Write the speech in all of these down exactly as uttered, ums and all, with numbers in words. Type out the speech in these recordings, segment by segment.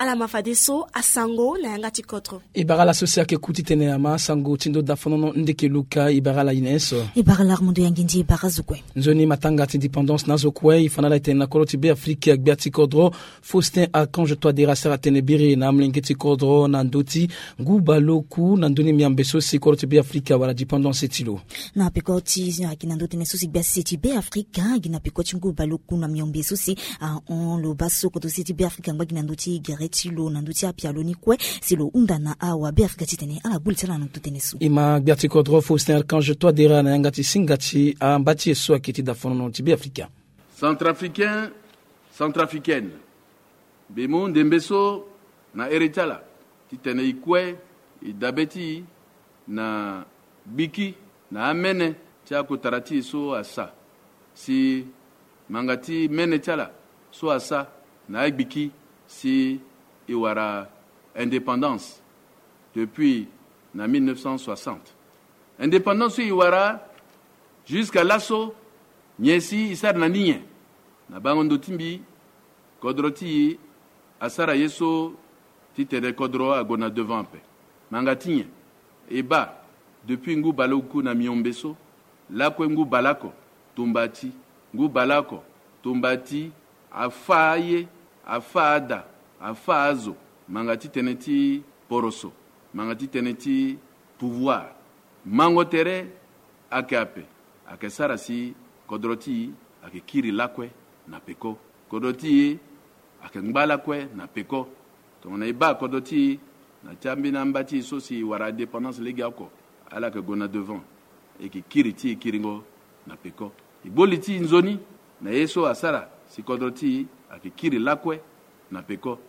Ala ma fadeso asango na yanga ti kodro. E bara ala so si ayeke ku titene ama sango ti ndo dafonono ndeke luka. E bara ala ine so. E bara ala armando yangindi e bara zo kue. Nzoni matanga ti indépendance na azo kue e fa na ala e tene na kodro ti Beafrika gbia ti kodro Faustin Archange Touadéra asara tene biri na amolenge ti kodro na ndö ti ngu baleoku na ndö ni miambe so si kodro ti Beafrika wala dépendance ti lo. Na peko ti ayeke na ndö tënë so si gbia sese ti Beafrika ayeke na peko ti ngu baleoku na miombe so si ahon lo baa so kodro sese ti Beafrika angba gi na ndö ti gere ti lo na ndö ti apialo ni kue si lo hunda na awa Beafrika titene ala gbu li ti ala na ndö tënë so. E ma gbia ti kodro Faustin Archange Touadéra na yanga ti singa ti amba ti e so ayeke ti dafonono ti Beafrika. Centrafricain, centrafricaine, mbi mu ndembe so na ere ti ala titene e kue e dabe ti e na gbiki na amene ti akotara ti e so asa, si ngbanga ti mene ti ala so asa na agbiki si e wara indépendance depuis na mille neuf cent soixante. Indépendance so e wara jusqu'à laso nyen si e sara na ni nyen? Na bango ndo ti mbi, kodro ti e asara ye so titene kodro ague na devant ape. Ngbanga ti nyen? E baa depuis ngu baleoku na miombe so lakue ngu baleoko tumba ti, ngu baleoko tumba ti, afâ aye, afâ ada, afâ azo, ngbanga ti tënë ti poroso, ngbanga ti tënë ti pouvoir. Mango tere ayeke ape, ayeke sara si kodro ti e ayeke kiri lakue na peko. Kodro ti e ayeke ngba lakue na peko. Tongana e baa kodro ti e na ti ambeni amba ti e so si e wara indépendance legeoko, ala yeke gue na devant, e yeke kiri ti e kiringo na peko. E gbo li ti e nzoni na ye so asara si kodro ti e ayeke kiri lakue na peko.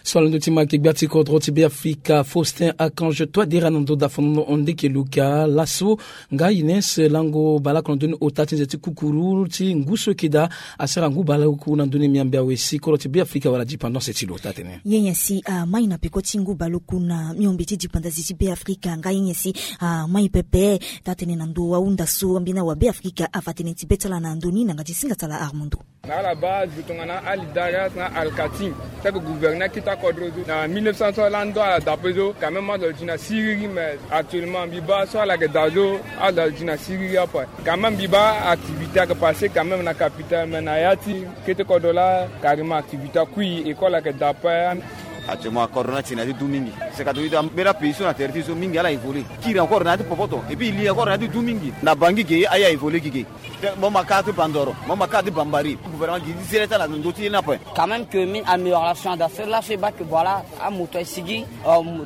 So ala ndö ti ma ayeke gbia ti kodro ti Beafrika Faustin Archange Touadéra na ndo dafonono ndeke luka laso. Nga Ines lango baleoko na ndö ni ota ti nze ti kukuru ti ngu so eke daa asara ngu baleoku na ndö ni miambe awe si kodro ti Beafrika wala dépendance ti lo taa tene. Ye nyen si amai na peko ti ngu baleoku na miombe ti dépendance ti Beafrika nga ye nyen si amai pepe taa tene na ndo ahunda so ambeni awa Beafrika afa tënë ti be ti ala na ndö ni na yanga ti singa ti ala Armando. Na ala baa zo tongana alidarias na alkatin ti ayeke gouverne akita kodro so na mille neuf cent so lando ala daa ape so quand même ado gi na siriri mais actuellement mbi baa so ala yeke daa so ado gi na siriri ape. Quand même mbi baa activité ayeke passe quand même na capitale mais na ya ti kete kodro laa carrément activité akui, école ayeke daa ape. Actuellement kodro ni atene na ti du mingi. C'est catholique ambeni apays so na tere ti so mingi ala évoluer kiri encore na ya ti popoto et puis e li encore na ya ti du mingi na bangi ge aye a évoluer gi ge. Mo ma kâ ti bandoro, mo ma kâ ti bambari. Gouvernement gi ti sere ti ala na ndö ti ye ni ape. Quand même que mine amélioration ada so laso e baa que voilà amoto ayeke sigi,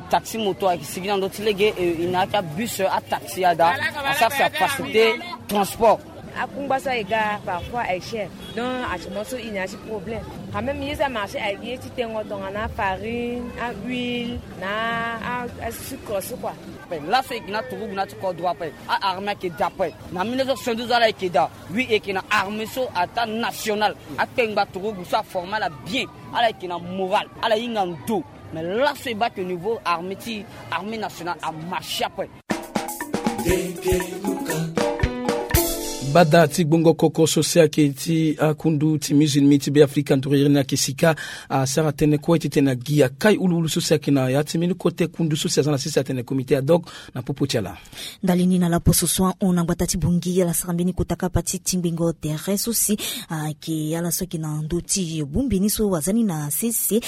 taxi moto ayeke sigi na ndö ti lege e na ya ti abus, ataxi ada asara si afacilité transport. Akungba so aye ga parfois aye cher. Donc actuellement so e na ya ti problème. Quand même ye so amarché aye gi ye ti tengo tongana farine, ahuile na asucre so kua. Laso e gi na turugu na ya ti kodro ape. Aarmée ayeke daa ape. Na mille neuf cent soixante-douze ala yeke daa. Oui e yeke na armée so ataa nationale. Akpengba turugu so aforme ala bien. Ala yeke na moral. Ala hinga ndo. Mais laso e baa que niveau armée ti armée nationale amarché ape. Bada ti gbongo koko so si ayeke ti akundu ti musulmi ti Beafrika nduru iri ni ayeke sika asara tënë kue titene agi akai uluulu so si ayeke na ya ti mbeni kote kundu so si aza na sese atene comité ad hoc na popo ti ala. Ndali ni na laposo so ahon na gbata ti Bangui ala sara mbeni kota kapa ti tingbingo tere so si ayeke ala so ayeke na ndö ti bongbi ni so aza ni na sese.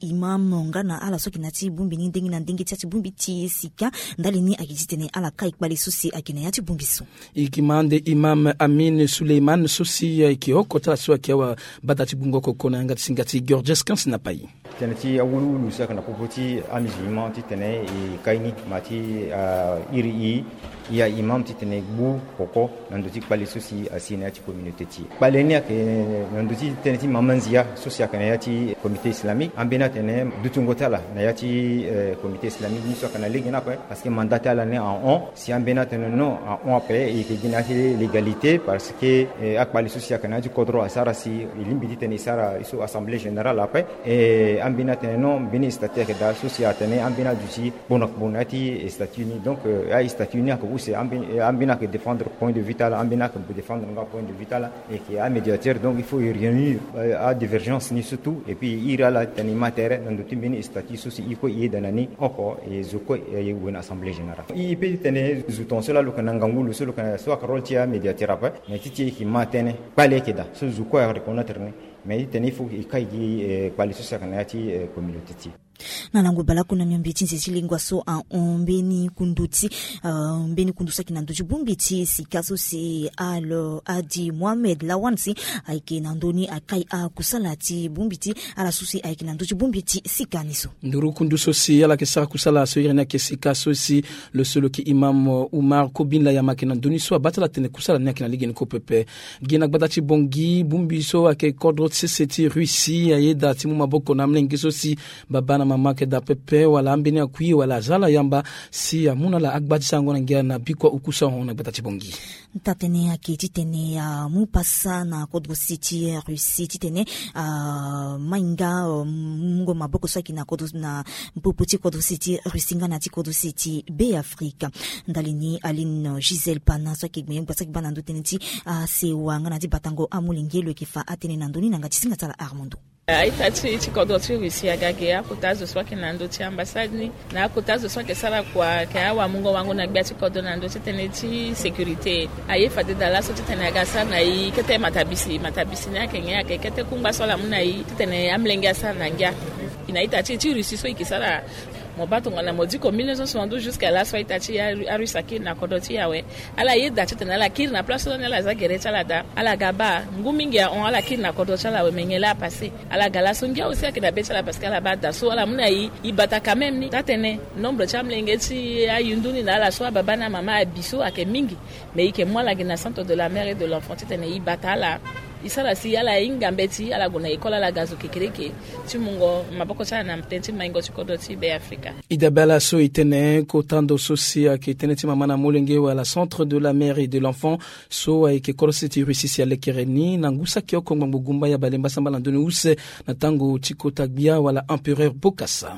Imam nga na ala so ayeke na ya ti bongbi ni ndenge na ndenge ti ya ti bongbi ti sika. Ndali ni ayeke titene ala kai kpale so si ayeke na ya ti bongbi so. E yeke ma ande imam Amine Suleiman so si ayeke oko ti ala so ayeke awa bada ti gbongo koko na yanga ti singa ti Georges Kansi na pai. Tënë ti awuluwulu so ayeke na popo ti amusulman titene e kai ni ma ti iri i ya imam titene e gbu koko na ndö ti kpale so si asi na ya ti communauté ti e. Kpale ni ayeke na ndö ti tënë ti mama nzia so si ayeke na ya ti comité islamique ambeni atene dutingo ti ala na ya ti comité islamique ni so ayeke na lege ni ape. Parce que mandat ti ala ni ahon si ambeni atene non ahon ape e yeke gi na ya ti légalité parce que akpale so si ayeke na ya ti kodro asara si e lingbi titene e sara e so assemblée générale ape. E ambeni atene non mbeni statut ayeke daa so si atene ambeni aduti kpo na kpo na ya ti statut ni donc astatut ni ayeke Ambeni ayeke défendre point de vue ti ala, ambeni ayeke défendre nga point de vue ti ala. Eke amédiateur, donc il faut réunir adivergence ni surtout. Et puis iri ala tene e ma tere na ndo ti mbeni statut so si e kue e yeda na ni oko e zo kue e gue na assemblée générale. E pe ti tene zo tonga so laa lo yeke na ngangu lo so lo yeke na so ayeke rôle ti amédiateur ape. Mais ti ti e yeke ma tënë kpale ayeke daa so zo kue areconnaître ni. Mais ti tene il faut e kai gi kpale so si ayeke na ya ti communauté ti e. Na lango baleoko na miombe ti nze ti lingua so ahon mbeni kundu ti mbeni kundu so ayeke na ndö ti bongbi ti sika so si alo adi mohamed lawan si ayeke na ndö ni akai akusala ti bongbi ti ala so si ayeke na ndö ti bongbi ti sika ni so. Nduru kundu so si ala yeke sara kusala so iri ni ayeke sika so si lo so lo yeke imam umar kobin layama ayeke na ndö ni so abaa ti ala tene kusala ni ayeke na lege ni kue pepe. Gi na gbata ti bongi bongbi so ayeke kodro ti sese ti russie ayeda ti mu maboko na amlenge so si baba na mama ayeke daa pepe wala ambeni akui wala aza ala yamba si amu na ala agba ti sarango na ngia na bikua oku so ahon na gbata ti bongi. Taa-tënë ayeke titene amu pasa na kodro sese ti russie titene amahinga mungo maboko so ayeke na popo ti kodro sese ti russie nga na ti kodro sese ti be afrika. Ndali ni aline gisèle pana so ayeke gbenye gbasa ayeke baa na ndö tënë ti asewa nga na ti batango amolenge lo yeke fa atënë na ndö ni na yanga ti singa ti ala armando. Aita ti ti kodro ti russie aga ge akota azo so ayeke na ndö ti ambassade ni na akota azo so ayeke sara kua ayeke awamungo wango na gbia ti kodro na ndö ti tënë ti sécurité. Aye fade daa laso titene aga sara na e kete matabisi matabisi ni ayeke nyen ayeke kete kungba so ala mu na e titene amolenge asara na ngia. E na ita ti e ti russie so e yeke sara mo baa tongana mo diko mille neuf cent soixante-douze jusqu'à laso aita ti arusse akiri na kodro ti e awe. Ala yeda titene ala kiri na place so ni ala za gere ti ala daa ala ga baa ngu mingi ahon ala kiri na kodro ti ala awe me nyen laa apasse. Ala ga laso ngia aussi ayeke na be ti ala parce que ala baa daa so ala mu na e e bata quand même ni taa-tënë nombre ti amolenge ti ayundu ni na ala so ababa na amama abi so ayeke mingi. Mais e yeke mu ala gi na centre de la mère et de l'enfant titene e bata ala e sara si ala hinga mbeti ala gue na école ala ga zo kekereke ti mungo maboko ti ala na tënë ti maingo ti kodro ti be afrika. E dabe ala so e tene kota ndo so si ayeke tënë ti mama na molenge wala centre de la mère et de l'enfant so ayeke kodro sese ti russie si alekere ni na ngu saki oko ngbangbo gumba ya balemba sambala na ndoni use na tango ti kota gbia wala empereur bokasa.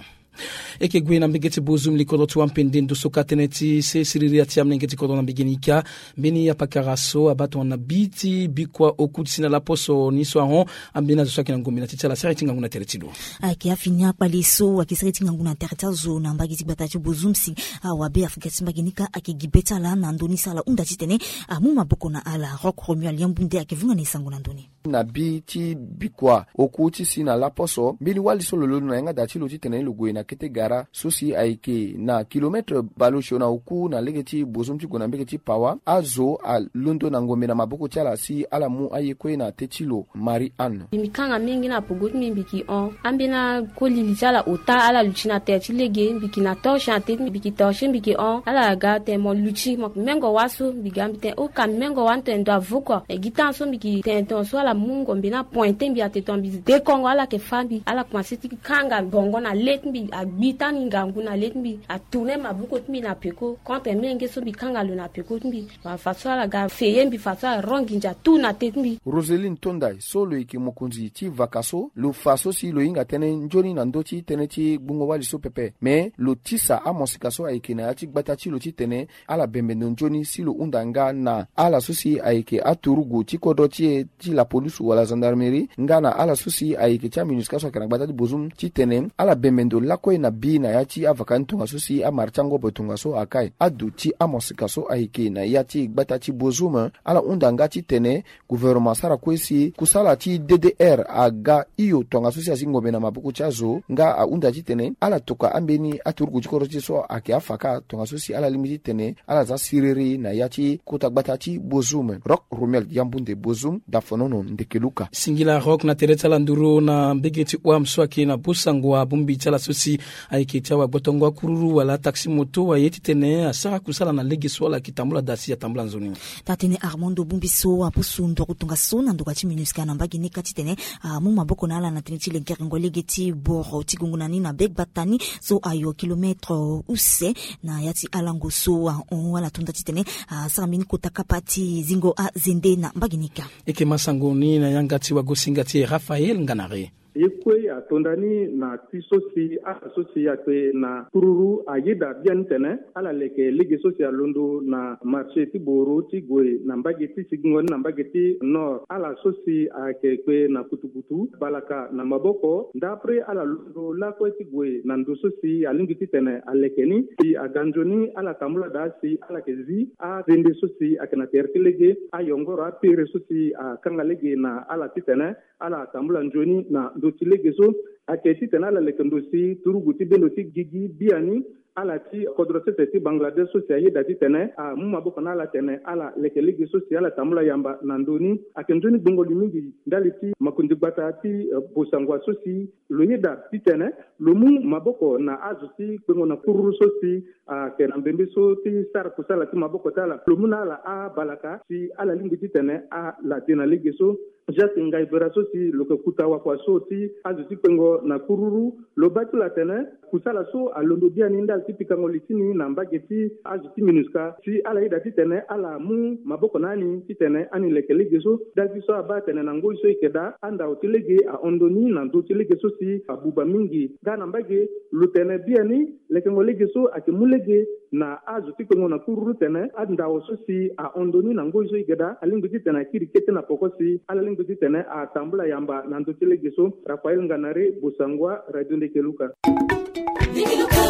E yeke gue na mbege ti bozum likodro ti wampende ndo so ka tënë ti se siriri ya ti amolenge ti kodro na mbege ni ka. Mbeni apakara so abaa tongana bi ti bikua oku ti si na laposo ni so ahon. Ambeni azo so ayeke na ngombe na ti ti ala sara ye ti ngangu na tere ti lo. Ayeke afini akpale so ayeke sara ye ti ngangu na tere ti azo na mbage ti gbata ti bozum si awabe afrika ti mbage ni ka ayeke gi be ti ala na ndö ni so ala hunda titene amu maboko na ala rock romual yambu nde ayeke vunga na e sango na ndö ni. Na bi ti bikua oku ti si na laposo mbeni wali so lo londo na yanga daa ti lo titene lo gue na kete gara so si ayeke na kilometre baleosio na oku na lege ti bozum ti gue na mbege ti pawa azo alondo na ngombe na maboko ti ala si ala mu aye kue na te ti lo. Marie anne. Mbi kanga mingi na pogo ti mbi mbi ki hon ambeni akoli li ti ala ota ala luti na tere ti lege mbi ki na torche na te ti mbi mbi ki torche mbi ki hon ala ga tene mo luti mo mengo wa so mbi ga mbi tene oka mengo wa ni tene ndo avoko. E gi tan so mbi gi tene tene so ala mu ngombe ni apointe mbi ate tene mbi dekongo ala yeke fa mbi ala komanse ti kanga bongo na le ti mbi agbi tani ngangu na le ti mbi atourne maboko ti mbi na peko contre menge so mbi kanga lo na peko ti mbi. Faso ala ga feye mbi faso ala rongi ndia tout na te ti mbi. Roseline tondai so lo yeke mokonzi ti vaka so lo fa so si lo hinga tënë nzoni na ndö ti tënë ti gbungo-wali so pepe me lo tisa amosika so ayeke na ya ti gbata ti lo titene ala bembe ndo nzoni si lo hunda nga na ala so si ayeke aturugu ti kodro ti e ti lapolisu wala gendarmerie nga na ala so si ayeke ti aminusika so ayeke na gbata ti bozum titene ala bembe ndo lakue na bi na ya ti avaka ni tongaso si amara ti angobo tongaso akai adu ti amosika so ayeke na ya ti gbata ti bozum. Ala hunda nga titene gouvernement asara kue si kusala ti ddr aga hio tongaso si asi ngombe na maboko ti azo nga ahunda titene ala toka ambeni aturugu ti kodro ti e so ayeke afa kâ tongaso si ala lingbi titene ala za siriri na ya ti kota gbata ti bozum. Rock romuel yambunde bozum dafonono ndeke luka. Singila rock na tere ti ala nduru na mbege ti wam so ayeke na bosango abongbi ti ala so si ayeke ti awagbotongo akururu wala ataxi moto aye titene asara kusala na lege so ala yeke tambula daa si atambula nzoni. Taa-tënë armando bongbi so apusu nduru tongaso na ndokua ti minusca na mbage ni ka titene amu maboko na ala na tënë ti lengerengo lege ti boro ti gongo na ni na be gbata ni so ayo kilometre use na ya ti alango so ahon ala tonda titene asara mbeni kota kapa ti zingo azende na mbage ni ka. E yeke ma sango ni na yanga ti wagosinga ti e raphaël nganare. Ye kue atonda ni na ti so si ala so si akpe na kururu ayeda biani tene ala leke lege so si alondo na marché ti boro ti gue na mbage ti sigingo ni na mbage ti nord. Ala so si ayeke kpe na kutukutu balaka na maboko ndapre ala londo lakue ti gue na ndo so si alingbi titene aleke ni. Si aga nzoni ala tambula daa si ala yeke zi azende so si ayeke na tere ti lege, ayongoro apere so si akanga lege na ala titene ala tambula nzoni na ndo ti lege so. Ayeke titene ala leke ndo si turugu ti bendo ti gigi biani ala ti kodro sese ti Bangladesh so si ayeda titene amu maboko na ala tene ala leke lege so si ala tambula yamba na ndo ni. Ayeke nzoni gbongo li mingi ndali ti makonzi gbata ti, eh, bosangua so si lo yeda titene lo mu maboko na azo ti kpengo na kururu so si ayeke na mbembe so ti sara kusala ti maboko ti ala. Lo mu na ala abalaka si ala lingbi titene ala de na lege so. Jacques Ngaibera so si lo yeke kuta wakua so ti azo ti kpengo na kururu, lo baa ti lo atene kusala so alondo biani ndali ti pikango li ti ni na mbage ti azo ti MINUSCA si ala yeda titene ala mu maboko na ani titene ani leke lege so. Ndali ti so abaa atene na ngoi so e yeke daa andao ti lege ahon ndo ni na ndo ti lege so si abuba mingi. Nga na mbage lo tene biani lekengo lege so ayeke mu lege na azo ti kpengo na kururu tene andao so si ahon ndo ni na ngoi so e yeke daa alingbi titene akiri kete na poko si ala lingbi titene atambula yamba na ndo ti lege so. Raphaël Nganare, Bosangua, Radio Ndeke Luka.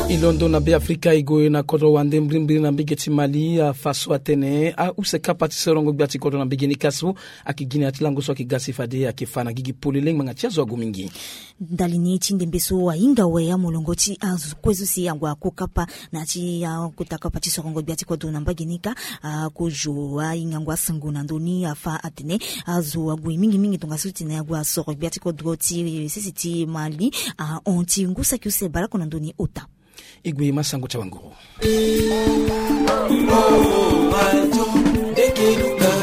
E londo na Beafrika e gue na kodro wande mbirimbiri na mbage ti Mali, afa so atene ause kapa ti sorongo gbia ti kodro na mbage ni ka so ayeke gi na ya ti lango so ayeke ga si fade ayeke fa na gigi polele ngbanga ti azo ague mingi. Ndali ni ti ndembe so ahinga awe amolongo ti azo kue so si ague ako kapa na ya ti akota kapa ti sorongo gbia ti kodro na mbage ni ka. Akozo ahingango asango na ndö ni afa atene azo ague mingi mingi tongaso titene ague asoro gbia ti kodro ti sese ti Mali ahon ti ngu saki use baleoko na ndö ni ota. E gue ma sango ti awanguru.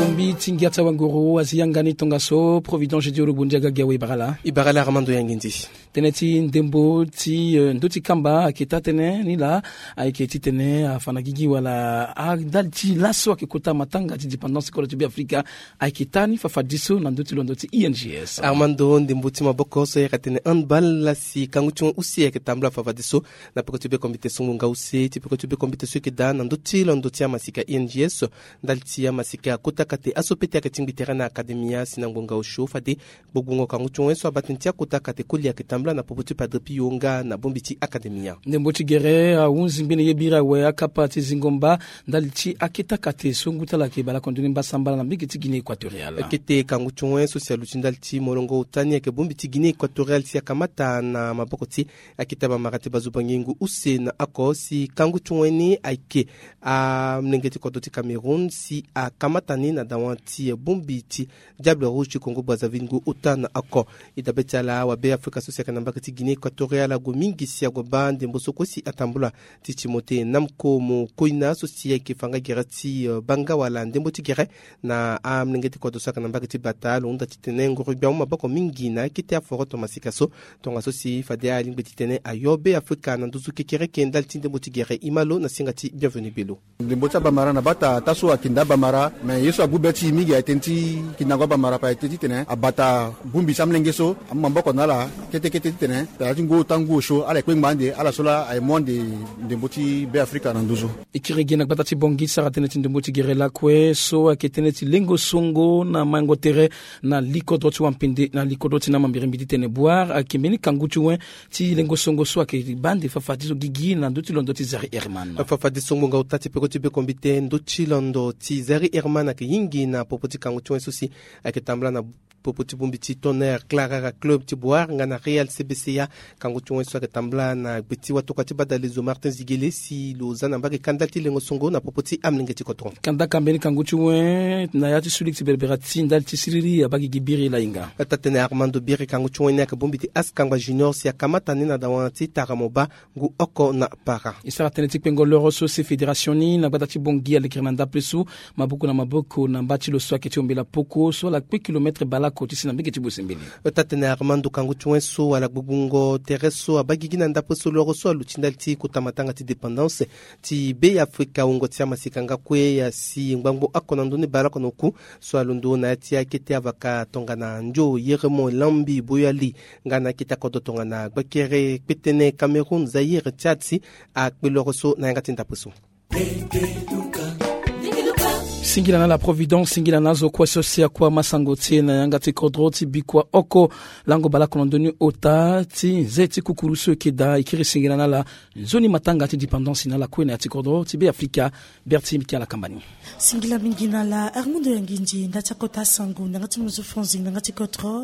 Bongbi ti ngia ti awanguru azi yanga ni tongaso Providence Jedi Ologbondia Gagiawe, e bara laa. E bara laa Armando Yangindi. Tënë ti ndembo ti, eh, ndö ti kamba ayeke taa tënë ni laa. Ayeke titene afa na gigi wala a ndali ti laso ayeke kota matanga ti dépendance ti kodro ti Beafrika. Ayeke taa ni fafadiso na ndö ti londo ti I N G S. Armando, ndembo ti maboko so e yeke tene handball, si kangu ti wen use ayeke tambula fafadiso na peko ti bekombite songo nga use ti peko ti bekombite so e yeke daa na ndö ti londo ti amasika I N G S. Ndali ti amasika akota kate aso pete ayeke tingbi tere na akademia si na ngbonga osio fade gbogbo ngongo kangu ti wen so abaa tënë ti akota kate koli ayeke tambula na popo ti Padre Pio nga na bongbi ti akademia. Ndembo ti gere ahunzi ngbene ye biri awe akapa ti zingo mba ndali ti akete akate so ngu ti ala ayeke baleoko ndoni mbasambala na mbage ti Guinée Équatoriale. Kete kangu ti wen so si aluti ndali ti molongo ota ni ayeke bongbi ti Guinée Équatoriale si akamata na maboko ti akete bamara ti bazo bangingo use na oko si kangu ti wen ni ayeke amolenge ti kodro ti Cameroun si akamata ni na dawa ti bongbi ti Diable Rouge ti Congo Brazzaville ngu ota na oko. E dabe ti ala wabe Afrika so si ayeke na mbage ti Guinée Équatoriale ague mingi si ague baa ndembo so kue si atambula ti Timothée Namko Mokoina so si ayeke fa nga gere ti, eh, banga wala ndembo ti gere na amolenge ti kodro so ayeke na mbage ti bata. Lo hunda titene ngoro gbia amu maboko mingi na akete aforoto masika so tongaso si fade alingbi titene ayo be Afrika na nduzu kekereke ndali ti ndembo ti gere. E ma lo na singa ti Bienvenu Belo. Ndembo ti abamara na bata taa so akenda abamara, me ye so agu be ti e mingi aye tënë ti kindango abamara pa aye tënë titene abata bongbi ti amolenge so amu maboko na ala kete kete titene tara ti ngu ota ngu osio ala ye kpengba ande ala so laa aye mu ande ndembo ti be Afrika na nduzu. E kiri gi na gbata ti Bangui ti sara tënë ti ndembo ti gere lakue so ayeke tënë ti lengo songo na maingo tere na likodro ti wampende na likodro ti na mambirembi titene Bouar ayeke mbeni kangu ti wen ti lengo songo so ayeke baa ande fafadiso gigi na ndö ti londo ti Zari Herman. Fafadiso ngbonga ota ti peko ti bekombite ndö ti londo ti Zari Herman ayeke hingi na popo ti kangu ti wen so si ayeke tambula na popo ti bongbi ti Tonnerre Clarara Club ti Bouar nga na Real C B C A. Kangu ti wen so ayeke tambula na gbe ti watokua ti badalezo Martin Ziguele si lo za na mbage kanda ti lengo songo na popo ti amolenge ti kodro. Kandaka mbeni kangu ti wen na ya ti suliki ti berebere ti ndali ti siriri abaa gigi biri lahinga. Taa-tënë Armando Biri, kangu ti wen ni ayeke bongbi ti Askangba Junior si akamata ni na dawa ti Taramoba ngu oko na para. E sara tënë ti kpengo loro so si fédération ni na gbata ti Bangui alekere na ndapre so maboko na maboko na mba ti lo so ayeke ti ombela poko so ala kpe kilomètre baleoko Kotisi na mbege ti bosembele. Ota tene Armando Kangu ti wen so ala gbugbungo tere so abagigi na ndapre so loro so aluti ndali ti kota matanga ti dépendance ti be ya Afrika. Wungo ti amasika nga kue asi ngbangbo oko na ndoni baleoko na oku so alondo na ya ti akete avaka tongana ndio yeremo lambi boyali nga na akete akodro tongana gbakere kpetene Cameroun, Zaïre, Tchad si akpe loro so na yanga ti ndapre so. Singila na la Providence, singila na azo kue so si akua masango ti e na yanga ti kodro ti bikua oko lango baleoko na ndoni ota ti nze ti kukuru so eke daa e kiri singila na la nzoni matanga ti dépendance na la kue na ya ti kodro ti be Afrika. Berti Mikiala Kambani. Singila mingi na la Armando Yangindie nda ti akota asango na yanga ti muzu Franzi na yanga ti kodro.